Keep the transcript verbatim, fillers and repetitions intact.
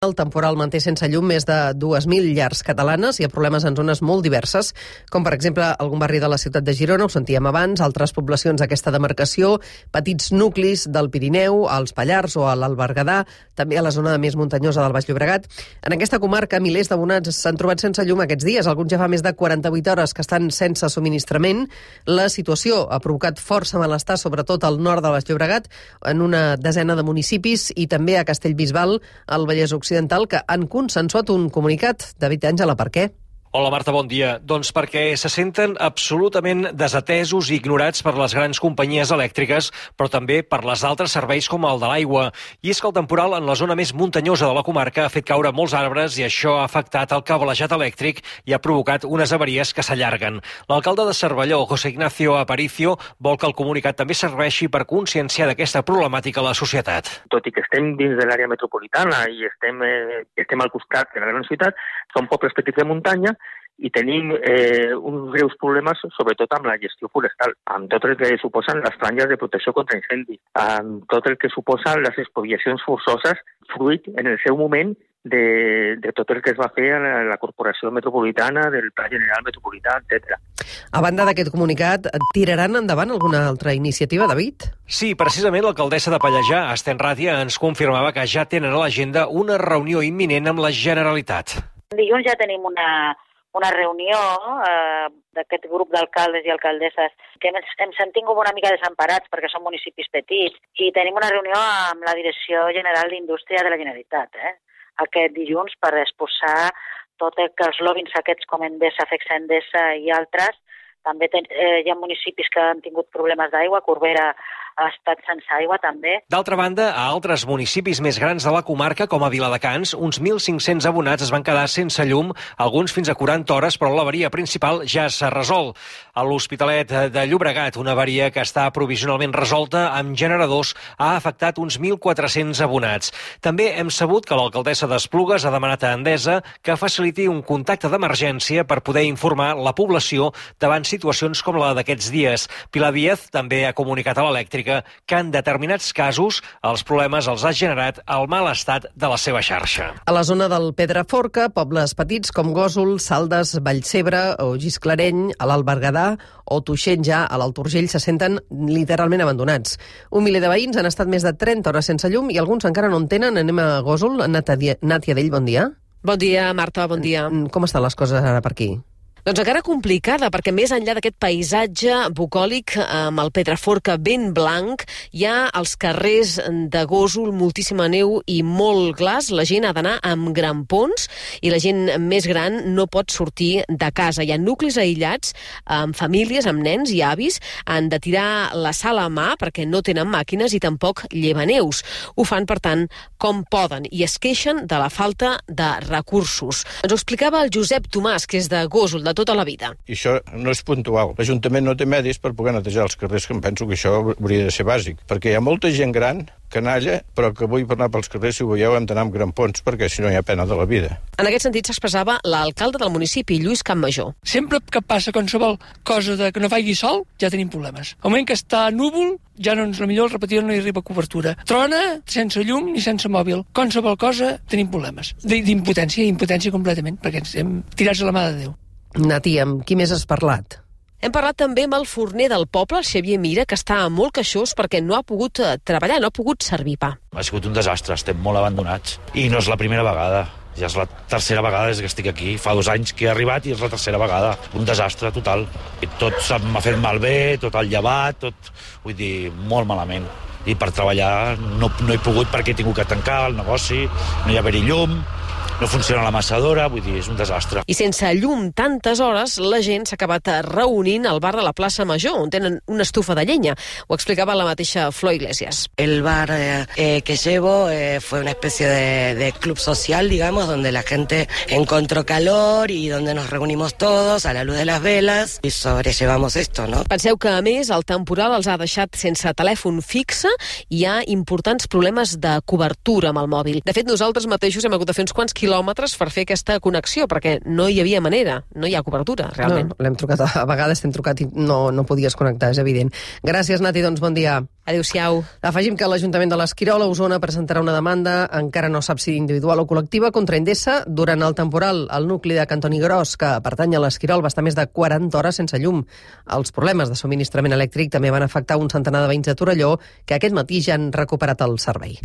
El temporal manté sense llum més de dues mil llars catalanes. Hi ha problemes en zones molt diverses, com per exemple algun barri de la ciutat de Girona, ho sentíem abans, altres poblacions d'aquesta demarcació, petits nuclis del Pirineu, als Pallars o a l'Alt Berguedà, també a la zona més muntanyosa del Baix Llobregat. En aquesta comarca, milers d'abonats s'han trobat sense llum aquests dies. Alguns ja fa més de quaranta-vuit hores que estan sense subministrament. La situació ha provocat força malestar, sobretot al nord del Baix Llobregat, en una desena de municipis, i també a Castellbisbal, al Vallès Occidental, que han consensuat un comunicat. David Àngela, per què? Hola Marta, bon dia. Doncs perquè se senten absolutament desatesos i ignorats per les grans companyies elèctriques, però també per les altres serveis com el de l'aigua. I és que el temporal en la zona més muntanyosa de la comarca ha fet caure molts arbres i això ha afectat el cablejat elèctric i ha provocat unes avaries que s'allarguen. L'alcalde de Cervelló, José Ignacio Aparicio, vol que el comunicat també serveixi per conscienciar d'aquesta problemàtica a la societat. Tot i que estem dins de l'àrea metropolitana i estem, eh, estem al costat de la gran ciutat, són pobles petits de muntanya i tenim eh, uns greus problemes, sobretot amb la gestió forestal, amb tot el que suposen les franges de protecció contra incendis, amb tot el que suposen les expropiacions forçoses, fruit en el seu moment de, de tot el que es va fer a la, la Corporació Metropolitana, del Pla General Metropolità, etcètera. A banda d'aquest comunicat, tiraran endavant alguna altra iniciativa, David? Sí, precisament l'alcaldessa de Pallejà, Esther Ràtia, ens confirmava que ja tenen a l'agenda una reunió imminent amb la Generalitat. Dilluns ja tenim una una reunió eh, d'aquest grup d'alcaldes i alcaldesses que ens hem sentit com una mica desemparats perquè són municipis petits, i tenim una reunió amb la Direcció General d'Indústria de la Generalitat eh, aquest dilluns per exposar tot el que els lobins aquests com Endesa, Fexa Endesa i altres. També ten, eh, hi ha municipis que han tingut problemes d'aigua, Corbera ha estat sense aigua també. D'altra banda, a altres municipis més grans de la comarca, com a Viladecans, uns mil cinc-cents abonats es van quedar sense llum, alguns fins a quaranta hores, però l'avaria principal ja s'ha resolt. A l'Hospitalet de Llobregat, una avaria que està provisionalment resolta amb generadors, ha afectat uns mil quatre-cents abonats. També hem sabut que l'alcaldessa d'Esplugues ha demanat a Endesa que faciliti un contacte d'emergència per poder informar la població davant situacions com la d'aquests dies. Pilar Díaz també ha comunicat a l'elèctrica que en determinats casos els problemes els ha generat el mal estat de la seva xarxa. A la zona del Pedraforca, pobles petits com Gósol, Saldes, Vallcebre o Gisclareny, a l'Alt Berguedà o Tuixén, ja a l'Alt Urgell, se senten literalment abandonats. Un miler de veïns han estat més de trenta hores sense llum i alguns encara no en tenen. Anem a Gósol. Nàtia Dell, bon dia. Bon dia, Marta, bon dia. Com estan les coses ara per aquí? Doncs encara complicada, perquè més enllà d'aquest paisatge bucòlic amb el Pedraforca ben blanc, hi ha als carrers de Gósol moltíssima neu i molt glaç. La gent ha d'anar amb grampons i la gent més gran no pot sortir de casa. Hi ha nuclis aïllats amb famílies, amb nens i avis. Han de tirar la sal a mà perquè no tenen màquines i tampoc llevaneus. Ho fan, per tant, com poden i es queixen de la falta de recursos. Ens ho explicava el Josep Tomàs, que és de Gósol, de tota la vida. I això no és puntual. L'Ajuntament no té medis per poder netejar els carrers, que em penso que això hauria de ser bàsic, perquè hi ha molta gent gran, canalla, però que avui per anar pels carrers, si ho veieu, hem d'anar amb grampons, perquè si no hi ha pena de la vida. En aquest sentit s'expressava l'alcalde del municipi, Lluís Campmajor. Sempre que passa qualsevol cosa de que no faci sol, ja tenim problemes. Al moment que està núvol, ja no ens, potser el repetidor no hi arriba cobertura. Trona, sense llum ni sense mòbil. Qualsevol cosa, tenim problemes. D'impotència, impotència completament, perquè ens hem tirats a la mà de Déu. Nati, amb qui més has parlat? Hem parlat també amb el forner del poble, el Xavier Mira, que està molt queixós perquè no ha pogut treballar, no ha pogut servir pa. Ha sigut un desastre, estem molt abandonats. I no és la primera vegada, ja és la tercera vegada des que estic aquí. Fa dos anys que he arribat i és la tercera vegada. Un desastre total. I tot m'ha fet malbé, tot el llevat, tot, vull dir, molt malament. I per treballar no, no he pogut perquè he tingut que tancar el negoci, no hi ha haver-hi llum, no funciona la massadora, vull dir, és un desastre. I sense llum tantes hores, la gent s'ha acabat reunint al bar de la plaça Major, on tenen una estufa de llenya. Ho explicava la mateixa Flor Iglesias. El bar eh, que llevo eh, fue una especie de, de club social, digamos, donde la gente encontró calor y donde nos reunimos todos a la luz de las velas y sobrellevamos esto, ¿no? Penseu que, a més, el temporal els ha deixat sense telèfon fixe i hi ha importants problemes de cobertura amb el mòbil. De fet, nosaltres mateixos hem hagut de fer uns quants quilòmetres quilòmetres per fer aquesta connexió, perquè no hi havia manera, no hi ha cobertura, realment. No, l'hem trucat, a vegades t'hem trucat i no, no podies connectar, és evident. Gràcies, Nati, doncs bon dia. Adéu-siau. Afegim que l'Ajuntament de l'Esquirol a Osona presentarà una demanda, encara no sap si individual o col·lectiva, contra Endesa durant el temporal. El nucli de Cantoni Gros, que pertany a l'Esquirol, va estar més de quaranta hores sense llum. Els problemes de subministrament elèctric també van afectar un centenar de veïns de Torelló, que aquest matí ja han recuperat el servei.